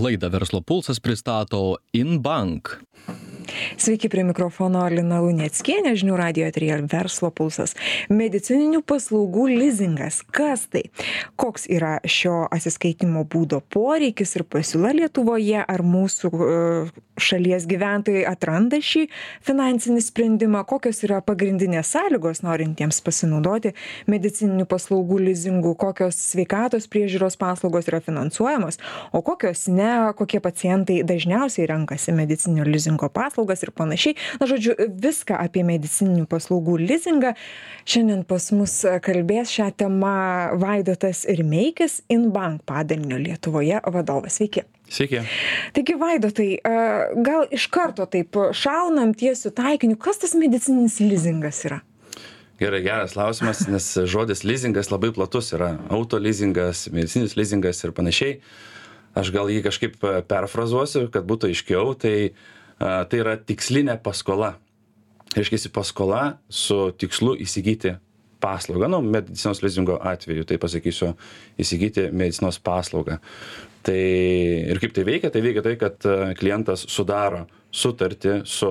Laidą Verslo pulsas pristato InBank. Sveiki, prie mikrofono Lina Luneckienė, žinių radijo eteryje Verslo pulsas. Medicininių paslaugų lizingas. Kas tai? Koks yra šio atsiskaitimo būdo poreikis ir pasiūla Lietuvoje? Ar mūsų šalies gyventojai atranda šį finansinį sprendimą? Kokios yra pagrindinės sąlygos norintiems pasinaudoti medicininių paslaugų lizingu? Kokios sveikatos priežiūros paslaugos yra finansuojamos? O kokios ne? Kokie pacientai dažniausiai renkasi medicinio lizingo paslaugas ir panašiai. Na, žodžiu, viską apie medicininių paslaugų lizingą. Šiandien pas mus kalbės šią temą Vaidotas Rimeikis, InBank padalinio Lietuvoje vadovas. Sveiki. Sveiki. Taigi, Vaidotai, gal iš karto taip šaunam tiesiu taikiniu, kas tas medicininis lizingas yra? Geras klausimas, nes žodis lizingas labai platus yra. Auto lizingas, medicininis lizingas ir panašiai. Aš gal jį kažkaip perfrazuosiu, kad būtų aiškiau. Tai yra tikslinė paskola. Reiškia, paskola su tikslu įsigyti paslaugą. Medicinos lizingo atveju, tai pasakysiu, įsigyti medicinos paslaugą. Tai ir kaip tai veikia? Tai veikia tai, kad klientas sudaro sutartį su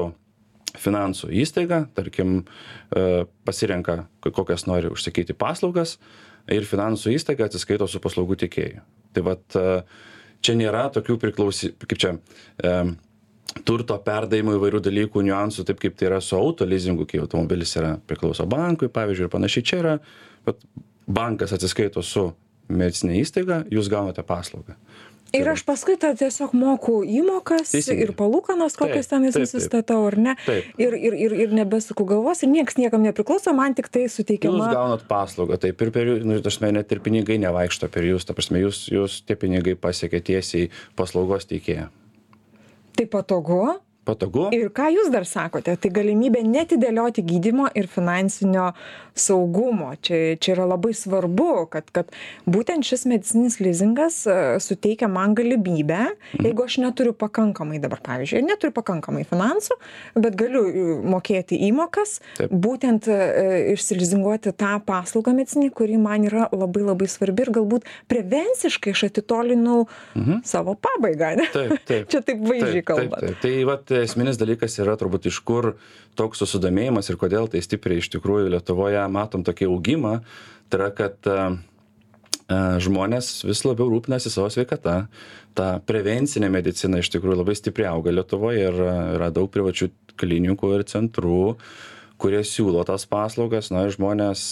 finansų įstaiga, tarkim, pasirenka, kokias nori užsakyti paslaugas ir finansų įstaiga atsiskaito su paslaugų tiekėju. Tai vat čia nėra tokių turto perdavimo įvairių dalykų, niuansų, taip kaip tai yra su auto lizingu, kai automobilis priklauso bankui, pavyzdžiui, ir panašiai. Čia yra, bet bankas atsiskaito su medicinė įstaiga, jūs gaunate paslaugą. Ir aš paskui tiesiog moku įmokas ir palūkanas, kokias ten nusistatau, ar ne? Taip. Ir nebesuku galvos, ir nieks niekam nepriklauso, man tik tai suteikiama. Jūs gaunat paslaugą, taip, ir per jūs, net ir pinigai nevaikšto per jūs, ta prasme, jūs tie pinigai pasiekia tiesiai paslaugos teikėją. Tai patogu. Patogu. Ir ką jūs dar sakote, tai galimybė netidėlioti gydymo ir finansinio saugumo. Čia yra labai svarbu, kad būtent šis medicininis lizingas suteikia man galimybę, jeigu aš neturiu pakankamai dabar, pavyzdžiui, neturiu pakankamai finansų, bet galiu mokėti įmokas, taip, būtent išsilizinguoti tą paslaugą medicinį, kuri man yra labai labai svarbi ir galbūt prevenciškai aš atitolinau savo pabaigą. Ne? Taip. Čia taip vaizdžiai kalbant. Taip. Tai vat esminis dalykas yra turbūt iš kur toks susidomėjimas ir kodėl tai stipriai iš tikrųjų Lietuvoje matom tokį augimą. Tai yra, kad žmonės vis labiau rūpinasi savo sveikata. Ta prevencinė medicina iš tikrųjų labai stipriai auga Lietuvoje ir yra daug privačių klinikų ir centrų, kurie siūlo tas paslaugas. Na, žmonės,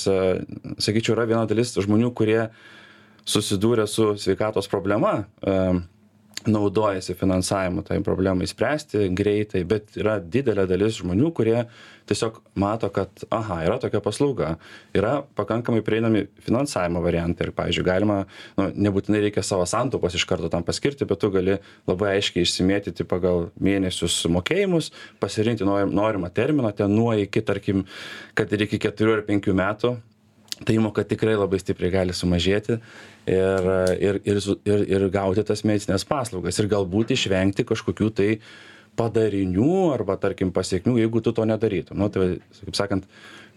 sakyčiau, yra viena dalis žmonių, kurie susidūrė su sveikatos problema, naudojasi finansavimu tai problemai spręsti greitai, bet yra didelė dalis žmonių, kurie tiesiog mato, kad yra tokia paslauga, yra pakankamai prieinami finansavimo variantai ir, pavyzdžiui, galima, nebūtinai reikia savo santaupos iš karto tam paskirti, bet tu gali labai aiškiai išsimėtyti pagal mėnesius mokėjimus, pasirinkti norimą terminą, ten nuo iki, tarkim, kad ir iki 4 ar 5 metų. Tai įmoka tikrai labai stipriai gali sumažėti ir gauti tas medicinės paslaugas ir galbūt išvengti kažkokių tai padarinių arba, tarkim, pasiekmių, jeigu tu to nedarytum. Tai, kaip sakant,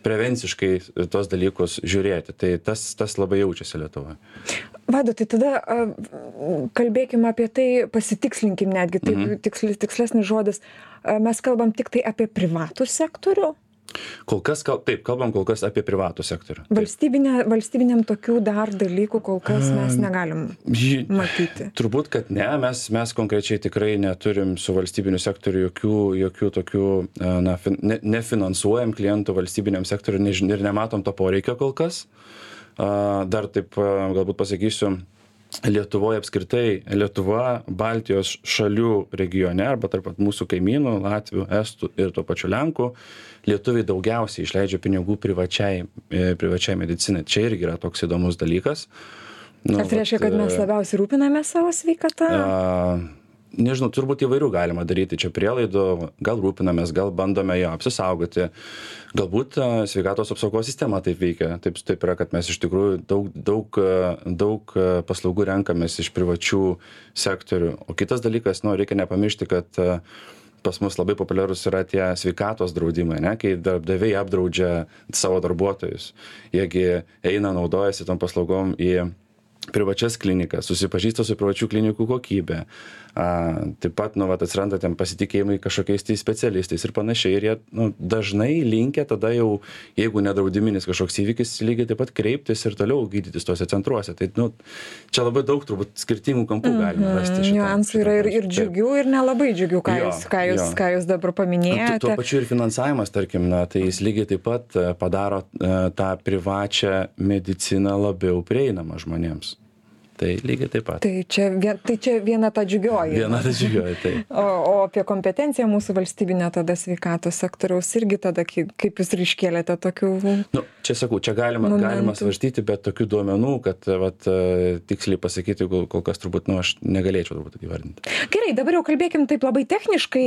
prevenciškai tos dalykus žiūrėti. Tai tas labai jaučiasi Lietuvoje. Vaido, tai tada kalbėkime apie tai, pasitikslinkim netgi, taip tikslesnis žodis. Mes kalbam tik tai apie privatų sektorių? Taip, kalbam kol kas apie privatų sektorių. Valstybiniam tokių dar dalykų kol kas mes negalim matyti. Turbūt, kad ne, mes konkrečiai tikrai neturim su valstybiniu sektoriu jokių tokių, nefinansuojam klientų valstybiniam sektoriu ir nematom to poreikio kol kas. Dar taip galbūt pasakysiu, Lietuvoje apskritai, Lietuva, Baltijos šalių regione arba tarp mūsų kaimynų, Latvių, Estų ir tuo pačiu Lenkų, lietuviai daugiausiai išleidžia pinigų privačiai medicinai. Čia irgi yra toks įdomus dalykas. Ar tai reiškia, kad mes labiausiai rūpiname savo sveikatą? Nežinau, turbūt įvairių galima daryti čia prielaidų, gal rūpinamės, gal bandome jo apsisaugoti, galbūt sveikatos apsaugos sistema taip veikia, taip yra, kad mes iš tikrųjų daug paslaugų renkamės iš privačių sektorių. O kitas dalykas, reikia nepamiršti, kad pas mus labai populiarus yra tie sveikatos draudimai, kai darbdaviai apdraudžia savo darbuotojus. Jiegi eina, naudojasi tom paslaugom į privačias klinikas, susipažįsta su privačių klinikų kokybė, Taip pat, atsiranda ten pasitikėjimai kažkokiais tai specialistais ir panašiai. Ir jie, dažnai linkę tada jau, jeigu nedraudiminis kažkoks įvykis, lygiai taip pat kreiptis ir toliau gydytis tuose centruose. Tai, čia labai daug turbūt skirtingų kampų galima rasti. Niuansų yra ir džiugių, ir nelabai džiugių, ką jūs dabar paminėjote. Tuo pačiu ir finansavimas, tarkim, tai jis lygiai taip pat padaro tą privačią mediciną labiau prieinamą žmonėms. Tai lygiai taip pat. Tai čia viena ta džiugioji. Viena ta džiugioji, tai. O apie kompetenciją mūsų valstybinę tada sveikatos sektoriaus irgi tada, kaip jūs ir iškėlėte tokių... Čia sakau, čia galima svarstyti, bet tokių duomenų, kad tiksliai pasakyti, kol kas turbūt, aš negalėčiau turbūt įvardinti. Gerai, dabar jau kalbėkim taip labai techniškai,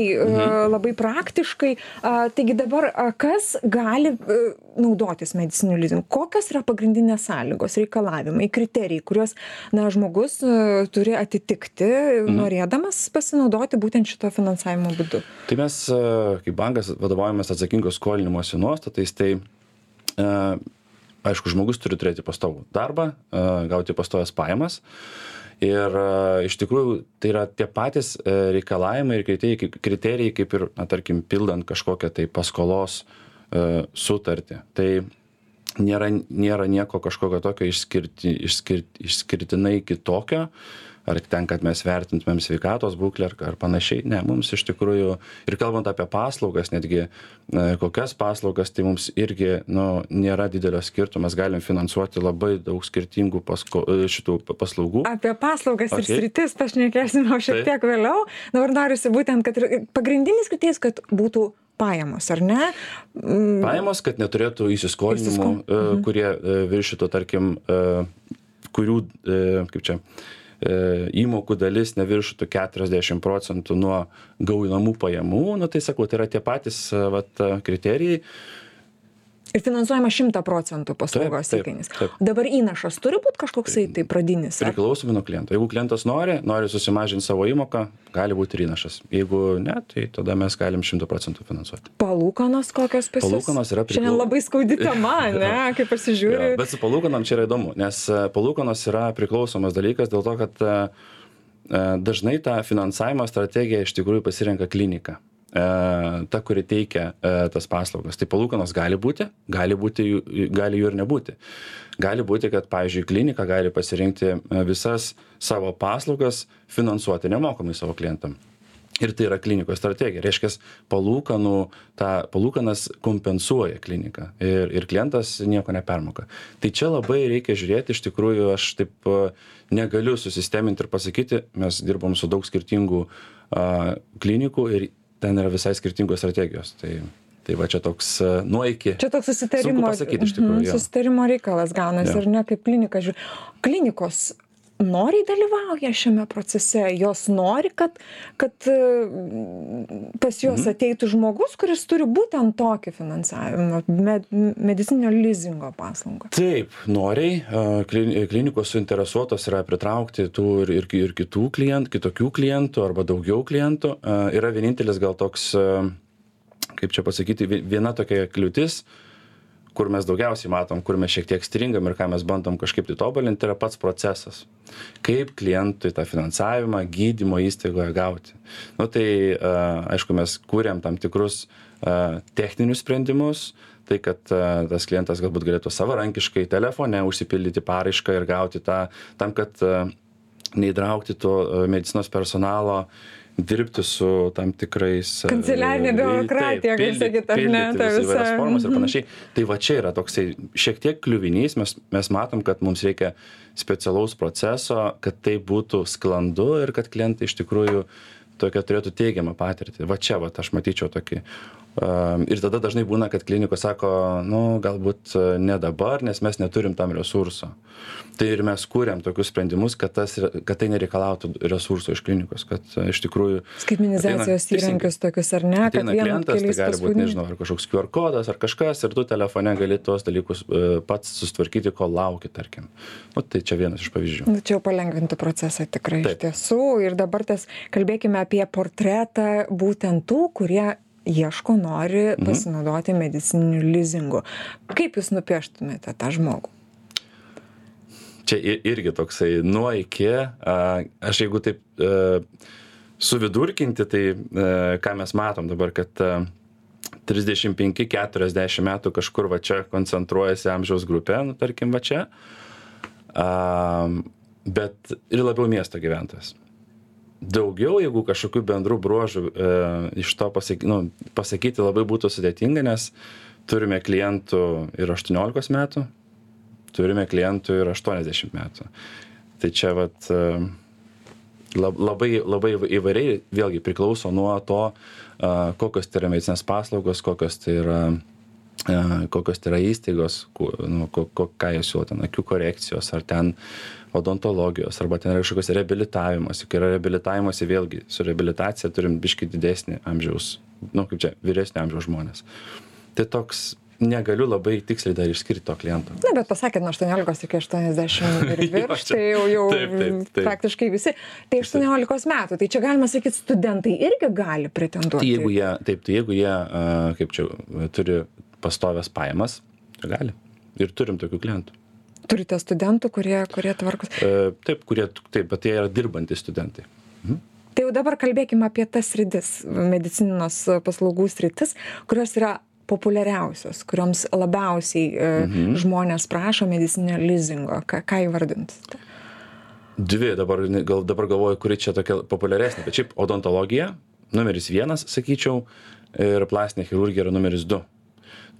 labai praktiškai. Taigi dabar, kas gali naudotis medicininiu lizingu? Kokios yra pagrindinės sąlygos, reikalavimai, kriterijai, kuriuos žmogus turi atitikti, norėdamas pasinaudoti būtent šito finansavimo būdu? Tai mes, kaip bankas, vadovaujamės atsakingos skolinimosi nuostatais, tai aišku, žmogus turi turėti pastovų darbą, gauti pastovias pajamas. Ir iš tikrųjų tai yra tie patys reikalavimai ir kriterijai, kaip ir, tarkim, pildant kažkokią tai paskolos sutartį. Tai nėra nieko kažkokio tokio išskirtinai kitokio, ar ten, kad mes vertintumėm sveikatos būklę ar panašiai. Ne, mums iš tikrųjų, ir kalbant apie paslaugas, netgi kokias paslaugas, tai mums irgi nėra didelio skirtumo, mes galim finansuoti labai daug skirtingų šitų paslaugų. Apie paslaugas ir sritis pašnekėsime šiek tiek vėliau. Dabar norisi būtent, kad pagrindinis kriterijus, kad būtų pajamos, ar ne? Pajamos, kad neturėtų įsiskolinimų, kurie viršytų, tarkim, kurių, įmokų dalis neviršytų 40% nuo gaunamų pajamų. Tai sakau, tai yra tie patys kriterijai. Ir finansuojama 100% paslaugos įkainis. Dabar įnašas turi būti kažkoksai tai pradinis? Priklausomai nuo kliento. Jeigu klientas nori susimažinti savo įmoką, gali būti ir įnašas. Jeigu ne, tai tada mes galim 100% finansuoti. Palūkanos kokios pas jūs? Palūkanos yra Šiandien labai skaudi tema, ne? Kaip pasižiūrėjau. Bet su palūkanom čia yra įdomu, nes palūkanos yra priklausomas dalykas dėl to, kad dažnai tą finansavimo strategiją iš tikrųjų pasirenka klinika. Ta, kuri teikia tas paslaugas. Tai palūkanos gali jų ir nebūti. Gali būti, kad, pavyzdžiui, klinika gali pasirinkti visas savo paslaugas finansuoti nemokamai savo klientam. Ir tai yra klinikos strategija. Reiškia, palūkanas kompensuoja kliniką ir klientas nieko nepermoka. Tai čia labai reikia žiūrėti, iš tikrųjų, aš taip negaliu susisteminti ir pasakyti, mes dirbam su daug skirtingų klinikų ir ten yra visai skirtingos strategijos. Tai va čia toks nuo iki. Čia toks susitarimo, sunku pasakyti, iš tikrųjų, susitarimo reikalas gaunasi, ar ne, kaip klinika žiūri. Klinikos noriai dalyvauja šiame procese, jos nori, kad pas juos ateitų žmogus, kuris turi būtent tokį finansavimą, medicininio lizingo paslaugą. Taip, noriai. Klinikos suinteresuotos yra pritraukti tų ir kitokių klientų arba daugiau klientų. Yra vienintelis gal toks, kaip čia pasakyti, viena tokia kliūtis, kur mes daugiausiai matom, kur mes šiek tiek stringam ir ką mes bandom kažkaip tai tobulinti, yra pats procesas. Kaip klientui tą finansavimą gydymo įstaigoje gauti. Tai, aišku, mes kūrėm tam tikrus techninius sprendimus, tai kad tas klientas galbūt galėtų savarankiškai telefone užsipildyti paraišką ir gauti tam, kad neįtraukti to medicinos personalo dirbti su tam tikrais... Kanceliarinė biurokratija, kaip sakyt, ar ne? Įvairias formas ir panašiai. Tai va čia yra toksai šiek tiek kliuvinys, mes matom, kad mums reikia specialaus proceso, kad tai būtų sklandu ir kad klientai iš tikrųjų tokia turėtų teigiamą patirtį. Va čia, aš matyčiau tokį. Ir tada dažnai būna, kad klinikos sako, galbūt ne dabar, nes mes neturim tam resurso. Tai ir mes kūrėm tokius sprendimus, kad tai nereikalautų resursų iš klinikos, kad iš tikrųjų... Skaitmenizacijos įrankius tokius, ar ne? Ateina klientas, tai gali būti, nežinau, ar kažkoks QR kodas, ar kažkas, ir tu telefone gali tuos dalykus pats sustvarkyti, kol lauki, tarkim. Tai čia vienas iš pavyzdžių. Čia jau palengvintų procesą tikrai iš tiesų. Ir dabar kalbėkime apie portretą būtent tų, kurie nori pasinaudoti medicininiu lizingu. Kaip jūs nupieštumėte tą žmogų? Čia irgi toksai nuo iki. Aš jeigu taip suvidurkinti, tai ką mes matom dabar, kad 35-40 metų kažkur va čia koncentruojasi amžiaus grupė, nu, tarkim va čia, bet ir labiau miesto gyventojas. Daugiau, jeigu kažkokių bendrų bruožų iš to pasakyti labai būtų sudėtinga, nes turime klientų ir 18 metų, turime klientų ir 80 metų. Tai čia vat labai įvairiai vėlgi priklauso nuo to, kokios tai yra medicinės paslaugos, kokios tai yra įstaigos, ką jie siūlo, ten akių korekcijos, ar ten odontologijos, arba ten yra kažkokios reabilitavimas. Kai yra reabilitavimas, vėlgi su reabilitacija turim biškį didesnį amžiaus, kaip čia, vyresnio amžiaus žmonės. Tai toks negaliu labai tiksliai dar išskirti to kliento. Na, bet pasakėt, nuo 18 iki 80 ir virš, tai jau taip. Praktiškai visi. Tai 18 metų, tai čia galima sakyti, studentai irgi gali pretenduoti. Jeigu jie kaip čia, turi pastovias pajamas, tai gali. Ir turim tokių klientų. Turite studentų, kurie tvarkos? Taip, bet jie yra dirbantys studentai. Tai jau dabar kalbėkime apie tas sritis, medicinos paslaugų sritis, kurios yra populiariausios, kurioms labiausiai žmonės prašo medicininio lizingo. Ką įvardinti? Dvi, dabar galvoju, kuri čia tokia populiaresnė, bet šiaip odontologija, numeris 1, sakyčiau, ir plastinė chirurgija yra numeris 2.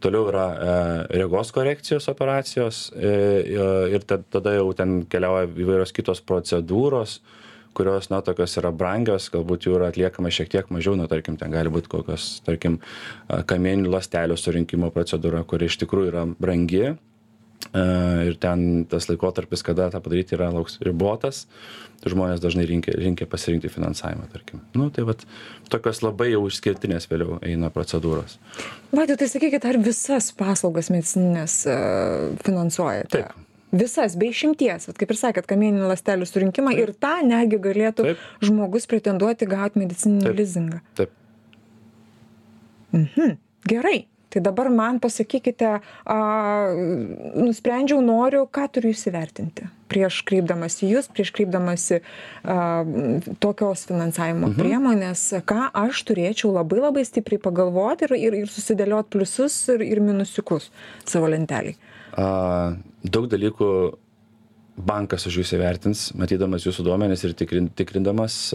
Toliau yra regos korekcijos operacijos ir tada jau ten keliauja įvairios kitos procedūros, kurios, tokios yra brangios, galbūt jų yra atliekama šiek tiek mažiau, tarkim, ten gali būti kokios, tarkim, kamieninių ląstelių surinkimo procedūra, kuri iš tikrųjų yra brangi ir ten tas laikotarpis, kada tą padaryti, yra ribotas, tai žmonės dažnai rinkia pasirinkti finansavimą, tarkim. Tai vat, tokios labai jau išskirtinės vėliau eina procedūros. Vaidai, tai sakykit, ar visas paslaugas medicininės finansuojate? Taip. Visas, be išimties, kaip ir sakėt, kamieninių ląstelių surinkimą ir tą negi galėtų žmogus pretenduoti gauti medicininį lizingą. Taip. Gerai. Tai dabar man pasakykite, nusprendžiau, noriu, ką turiu įsivertinti prieš kreipdamasi jūs, prieš kreipdamasi tokios finansavimo priemonės, ką aš turėčiau labai stipriai pagalvoti ir susidėlioti pliusus ir minusiukus savo lentelį. Daug dalykų bankas už jūs įvertins, matydamas jūsų duomenis ir tikrindamas,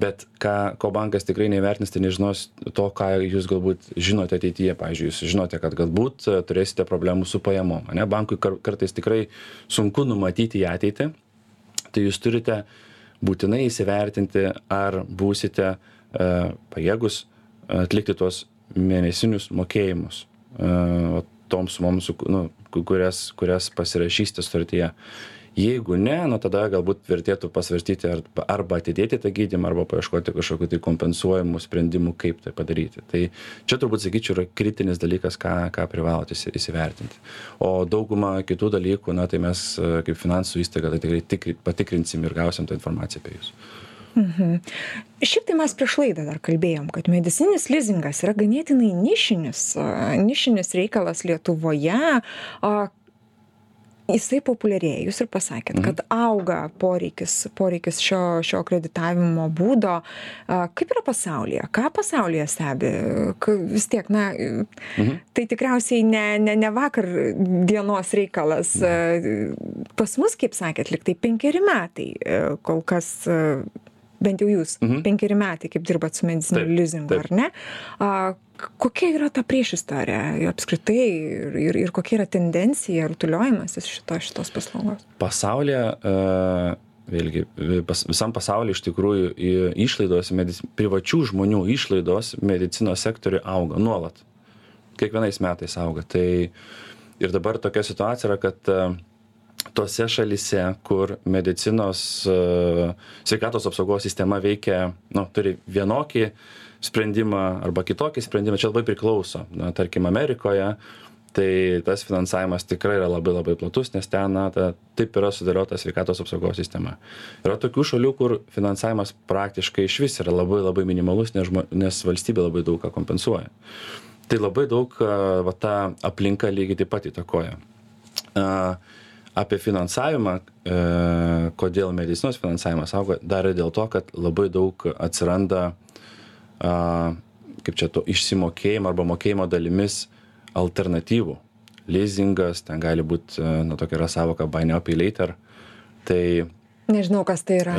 bet ko bankas tikrai neįvertins, tai nežinos to, ką jūs galbūt žinote ateityje. Pavyzdžiui, jūs žinote, kad galbūt turėsite problemų su pajamom. Bankui kartais tikrai sunku numatyti į ateitį, tai jūs turite būtinai įsivertinti, ar būsite pajėgus atlikti tuos mėnesinius mokėjimus toms sumoms, kurias pasirašysite sutartyje. Jeigu ne, tada galbūt vertėtų pasvarstyti arba atidėti tą gydymą, arba paieškoti kažkokių tai kompensuojamų sprendimų, kaip tai padaryti. Tai čia turbūt, sakyčiau, yra kritinis dalykas, ką privalote įsivertinti. O daugumą kitų dalykų, tai mes kaip finansų įstaiga tai tikrai patikrinsim ir gausim tą informaciją apie jūs. Šiaip tai mes prieš laidą dar kalbėjom, kad medicininis lizingas yra ganėtinai nišinis reikalas Lietuvoje. Jisai populiarėja, jūs ir pasakėt, kad auga poreikis šio kreditavimo būdo. Kaip yra pasaulyje? Ką pasaulyje stebi? Vis tiek, tai tikriausiai ne vakar dienos reikalas. Pas mus, kaip sakėt, lyg tai 5 metai, kol kas, bent jau jūs, 5 metai, kaip dirbat su medicininiu lizingu, ar ne? Kokia yra ta priešistorė apskritai ir kokia yra tendencija, rutuliojimasis šitos paslaugos? Pasaulyje, vėlgi, visam pasaulyje iš tikrųjų išlaidos, privačių žmonių išlaidos medicinos sektoriui auga nuolat. Kiekvienais metais auga. Tai ir dabar tokia situacija yra, kad tose šalyse, kur medicinos sveikatos apsaugos sistema veikia, turi vienokį sprendimą arba kitokį sprendimą, čia labai priklauso. Tarkim, Amerikoje, tai tas finansavimas tikrai yra labai platus, nes ten taip yra sudėliota sveikatos apsaugos sistema. Yra tokių šalių, kur finansavimas praktiškai išvis yra labai minimalus, nes valstybė labai daug ką kompensuoja. Tai labai daug ta aplinka lygiai taip pat įtakoja. apie finansavimą, kodėl medicinos finansavimas auga, dar ir dėl to, kad labai daug atsiranda, kaip čia to išsimokėjimo arba mokėjimo dalimis alternatyvų. Leasingas, ten gali būti, tokia yra savoka buy now pay later. Tai nežinau, kas tai yra.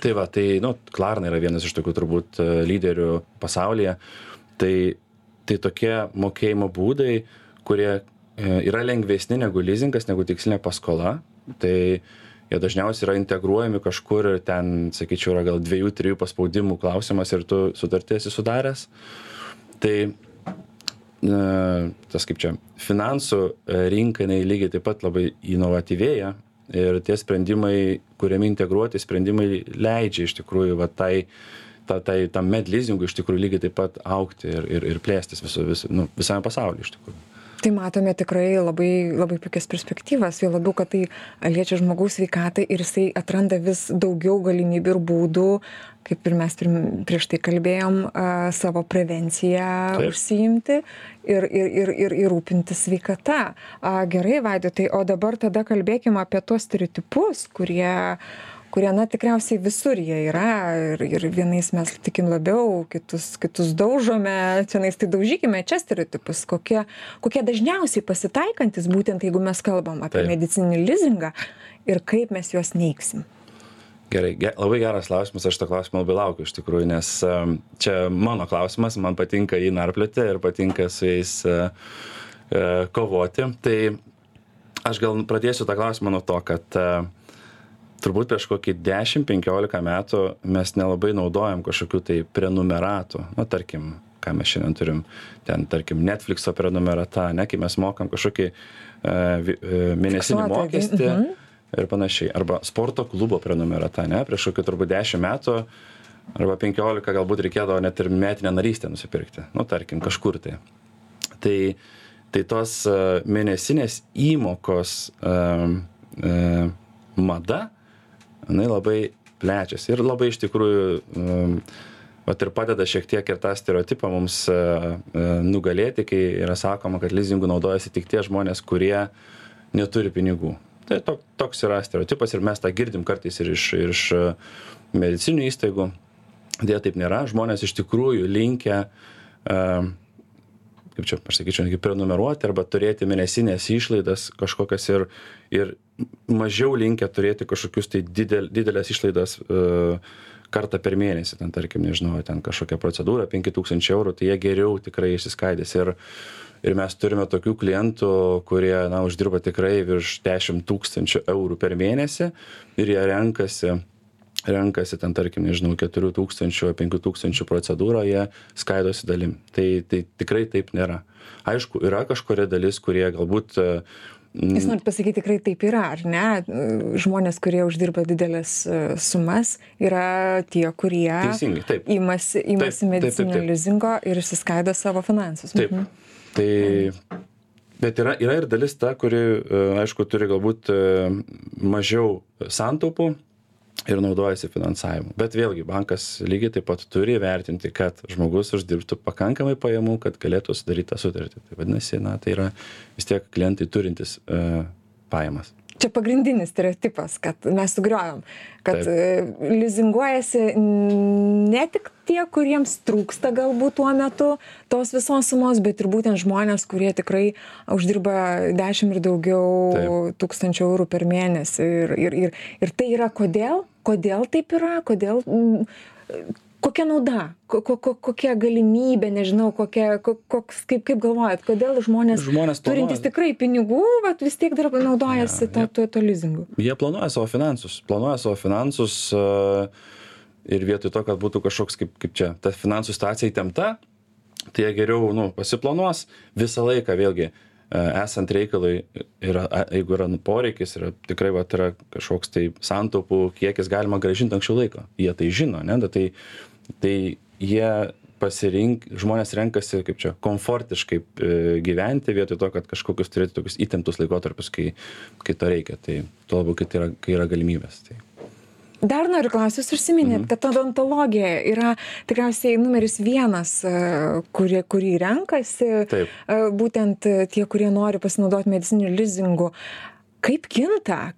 Tai va, tai, Klarna yra vienas iš tokių turbūt lyderių pasaulyje. Tai tokie mokėjimo būdai, kurie yra lengvesni negu leasingas, negu tikslinė paskola. Tai jie dažniausiai yra integruojami kažkur ir ten, sakyčiau, yra gal 2-3 paspaudimų klausimas ir tu sutartį esi sudaręs. Tai tas kaip čia, finansų rinka, jinai lygiai taip pat labai inovatyvėja ir tie sprendimai, kuriami integruoti sprendimai leidžia iš tikrųjų tam medleasingui iš tikrųjų lygiai taip pat augti ir plėstis visame pasaulyje iš tikrųjų. Tai matome tikrai labai, labai puikias perspektyvas, jo labiau, kad tai liečia žmogaus sveikatą ir jisai atranda vis daugiau galimybių ir būdų, kaip ir mes prieš tai kalbėjom, savo prevenciją užsiimti ir rūpintis sveikata. Gerai, Vaidotai, o dabar tada kalbėkime apie tuos stereotipus, kurie tikriausiai visur jie yra ir vienais mes tikim labiau, kitus daužome, čianais tai daužykime čia stereotipus, kokie dažniausiai pasitaikantis, būtent jeigu mes kalbam apie medicininį leasingą ir kaip mes juos neigsim. Gerai, labai geras klausimas, aš tą klausimą labai laukiu iš tikrųjų, nes čia mano klausimas, man patinka jį narplioti ir patinka su jais kovoti. Tai aš gal pradėsiu tą klausimą nuo to, kad turbūt prieš kokį 10-15 metų mes nelabai naudojam kažkokių tai prenumeratų. Tarkim, ką mes šiandien turim, ten, tarkim, Netflixo prenumerata, kai mes mokam kažkokį mėnesinį mokestį ir panašiai. Arba sporto klubo prenumerata, prieš kokį turbūt 10 metų arba 15 galbūt reikėdavo net ir metinę narystę nusipirkti. Tarkim, kažkur tai. Tai tos mėnesinės įmokos mada, jinai labai plečiasi ir labai iš tikrųjų ir padeda šiek tiek ir tą stereotipą mums nugalėti, kai yra sakoma, kad leasingu naudojasi tik tie žmonės, kurie neturi pinigų. Tai toks yra stereotipas ir mes tą girdim kartais ir iš medicininių įstaigų. Dėja taip nėra, žmonės iš tikrųjų linkę kaip čia, aš sakyčiau, prenumeruoti arba turėti mėnesinės išlaidas kažkokias ir mažiau linkę turėti kažkokius tai didelės išlaidas kartą per mėnesį, ten tarkim, nežinau, ten kažkokia procedūra 5000 eurų, tai jie geriau tikrai išsiskaidys ir mes turime tokių klientų, kurie, uždirba tikrai virš 10 000 eurų per mėnesį ir jie renkasi ten, tarkim, nežinau, 4000, 5000 procedūrą, jie skaidosi dalim. Tai tikrai taip nėra. Aišku, yra kažkuria dalis, kurie galbūt... Jūs norit pasakyti, tikrai taip yra, ar ne? Žmonės, kurie uždirba didelės sumas, yra tie, kurie imasi medicininio leasingo ir išsiskaido savo finansus. Taip. Bet yra ir dalis ta, kuri, aišku, turi galbūt mažiau santaupų ir naudojasi finansavimu. Bet vėlgi, bankas lygiai taip pat turi vertinti, kad žmogus uždirbtų pakankamai pajamų, kad galėtų sudaryti tą sutartį. Tai vadinasi, tai yra vis tiek klientai turintis pajamas. Čia pagrindinis stereotipas, kad mes sugriovėm, kad leasinguojasi ne tik tie, kuriems trūksta galbūt tuo metu tos visos sumos, bet ir būtent žmonės, kurie tikrai uždirba 10 ir daugiau tūkstančių eurų per mėnesį. Ir tai yra kodėl? Kodėl taip yra? Kodėl? Kokia nauda? Kokia galimybė, nežinau, kaip galvojat, kodėl žmonės turintys tikrai pinigų, vis tiek dar naudojasi to leasingu? Jie planuoja savo finansus ir vietoj to, kad būtų kažkoks, kaip čia, ta finansų situacija įtempta, tai jie geriau pasiplanuos visą laiką vėlgi. Esant reikalui, jeigu yra poreikis, tikrai yra kažkoks tai santaupų kiekis galima grąžinti anksčiau laiko. Jie tai žino, ne? Tai jie žmonės renkasi, kaip čia, komfortiškai gyventi vietoj to, kad kažkokius turėti tokius įtemptus laikotarpius, kai to reikia. Tai tuo labiau, kai yra galimybės. Tai. Dar noriu klausti, jūs užsiminėt, kad odontologija yra tikriausiai numeris 1, kurį renkasi, būtent tie, kurie nori pasinaudoti medicininiu leasingu. Kaip kinta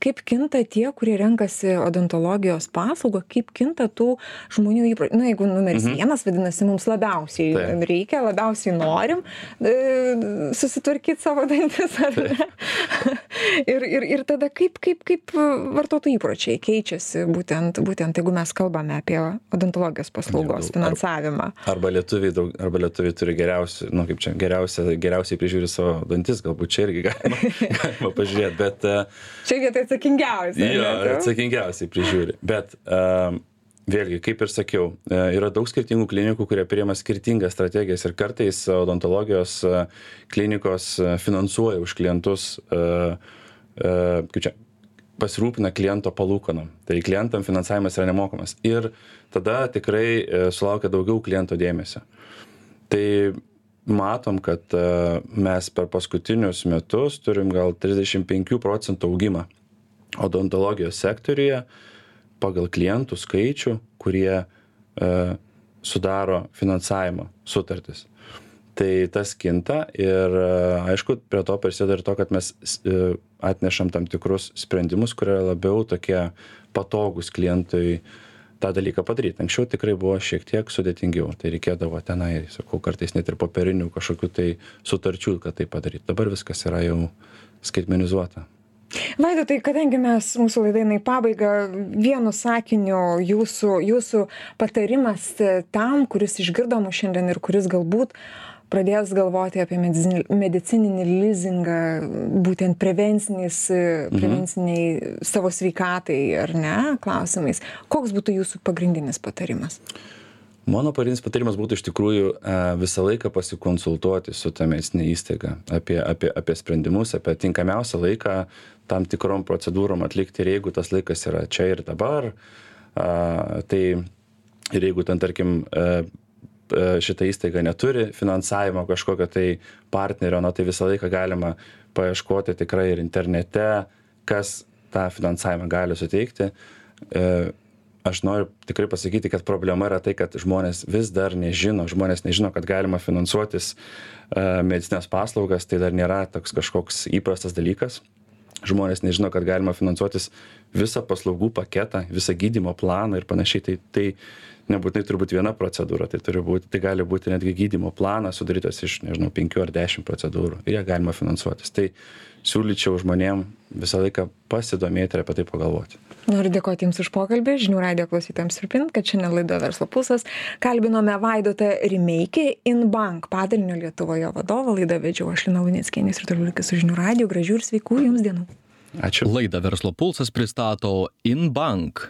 tie, kurie renkasi odontologijos paslaugą, kaip kinta tų žmonių įpročiai. Na, jeigu numeris vienas, vadinasi, mums labiausiai reikia, labiausiai norim susitvarkyti savo dantis, ar ne? ir tada kaip vartotojų įpročiai keičiasi, būtent jeigu mes kalbame apie odontologijos paslaugos finansavimą. Arba lietuviai turi geriausiai prižiūri savo dantis, galbūt čia irgi galima pažiūrėti, bet čia vietoj atsakingiausiai. Jo, atsakingiausiai prižiūri. Bet vėlgi, kaip ir sakiau, yra daug skirtingų klinikų, kurie priima skirtingas strategijas ir kartais odontologijos klinikos finansuoja už klientus, pasirūpina kliento palūkanom. Tai klientam finansavimas yra nemokamas. Ir tada tikrai sulaukia daugiau kliento dėmesio. Tai matom, kad mes per paskutinius metus turim gal 35% augimą odontologijos sektoriuje pagal klientų skaičių, kurie sudaro finansavimo sutartis. Tai tas kinta ir aišku, prie to prisideda ir to, kad mes atnešam tam tikrus sprendimus, kurie labiau tokie patogus klientui tą dalyką padaryti. Anksčiau tikrai buvo šiek tiek sudėtingiau, tai reikėdavo tenai, sakau, kartais net ir popierinių kažkokių tai sutarčių, kad tai padaryti. Dabar viskas yra jau skaitmenizuota. Vaidotai, kadangi mūsų laida eina į pabaigą, vienu sakiniu jūsų patarimas tam, kuris išgirdo mus šiandien ir kuris galbūt pradės galvoti apie medicininį lizingą, būtent prevenciniai savo sveikatai ar ne klausimais. Koks būtų jūsų pagrindinis patarimas? Mano pagrindinis patarimas būtų iš tikrųjų visą laiką pasikonsultuoti su ta medicinė įstaiga apie sprendimus, apie tinkamiausią laiką tam tikrom procedūrom atlikti. Ir jeigu tas laikas yra čia ir dabar, tai ir jeigu ten, tarkim, šita įstaiga neturi finansavimo kažkokio tai partnerio, tai visą laiką galima paieškoti tikrai ir internete, kas tą finansavimą gali suteikti. Aš noriu tikrai pasakyti, kad problema yra tai, kad žmonės vis dar nežino, kad galima finansuotis medicinės paslaugas, tai dar nėra toks kažkoks įprastas dalykas. Žmonės nežino, kad galima finansuotis visą paslaugų paketą, visą gydymo planą ir panašiai. Tai nebūtinai turi būti viena procedūra, tai gali būti netgi gydymo planas sudarytas iš, 5 ar 10 procedūrų ir ją galima finansuotis. Tai siūlyčiau žmonėm visą laiką pasidomėti ir apie tai pagalvoti. Noriu dėkoti Jums už pokalbį, žinių radijo klausytojams primint, kad šiandien laidoje Verslo pulsas kalbinome Vaidotą Rimeikį, Inbank padalinio Lietuvoje vadovą. Laidą vedžiau aš, Lina Luneckienė, ir toliau likite su žinių radiju. Gražių ir sveikų Jums dienų. Ačiū. Laidą Verslo pulsas pristato Inbank.